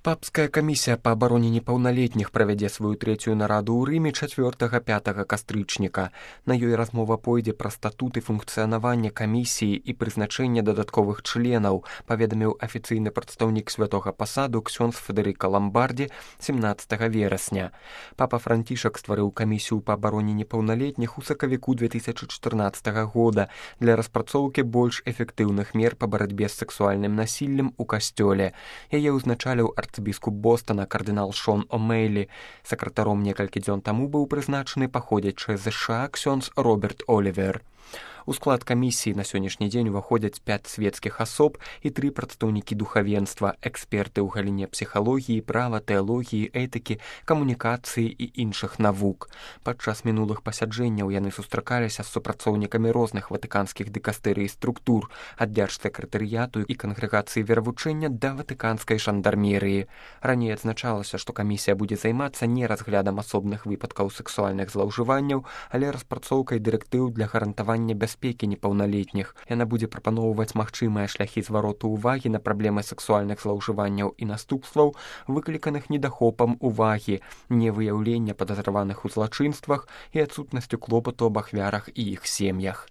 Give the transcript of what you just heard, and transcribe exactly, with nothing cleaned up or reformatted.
Папская камісія па абароне непаўналетніх правядзе сваю трэцюю нараду ў Рыме чацвёртага-пятага кастрычніка. На ёй размова пойдзе пра статуты функцыянавання камісіі і прызначэнне дадатковых членаў, паведаміў афіцыйны прадстаўнік святога пасаду ксёндз Федэрыка Ламбардзі семнаццатага верасня. Папа Францішак стварыў камісію па абароне непаўналетніх у сакавіку две тысячы чатырнаццатага года для распрацоўкі больш эфектыўных мер па барацьбе з сексуальным насіллем у касцёле. Яе ўзначаліў арцыбіскуп Бостона кардынал Шон О'Мейлі. Сакратаром некалькі дзён таму быў прызначаны паходзячы з ЗША ксёндз Роберт Олівер. У склад камісіі на сённяшні дзень уваходзяць пяць свецкіх асоб і тры прадстаўнікі духавенства, эксперты ў галіне псіхалогіі, права, тэалогіі, этыкі, камунікацыі і іншых навук. Падчас мінулых пасяджэнняў яны сустракаліся з супрацоўнікамі розных ватыканскіх дыкастэрый і структур, ад дзяржсакратарыяту і кангрэгацыі веравучэння да ватыканскай жандармерыі. Раней адзначалася, што камісія будзе займацца не разглядам асобных выпадкаў сексуальных злоўжыванняў, але распрацоўкай дырэктыў для гарантавання бяспекі непаўналетніх. Яна будзе прапаноўваць магчымыя шляхі звароту ўвагі на праблемы сексуальных злоўжыванняў і наступстваў, выкліканых недахопам увагі, невыяўлення падазраваных у злачынствах і адсутнасцю клопату аб ахвярах і іх сем'ях.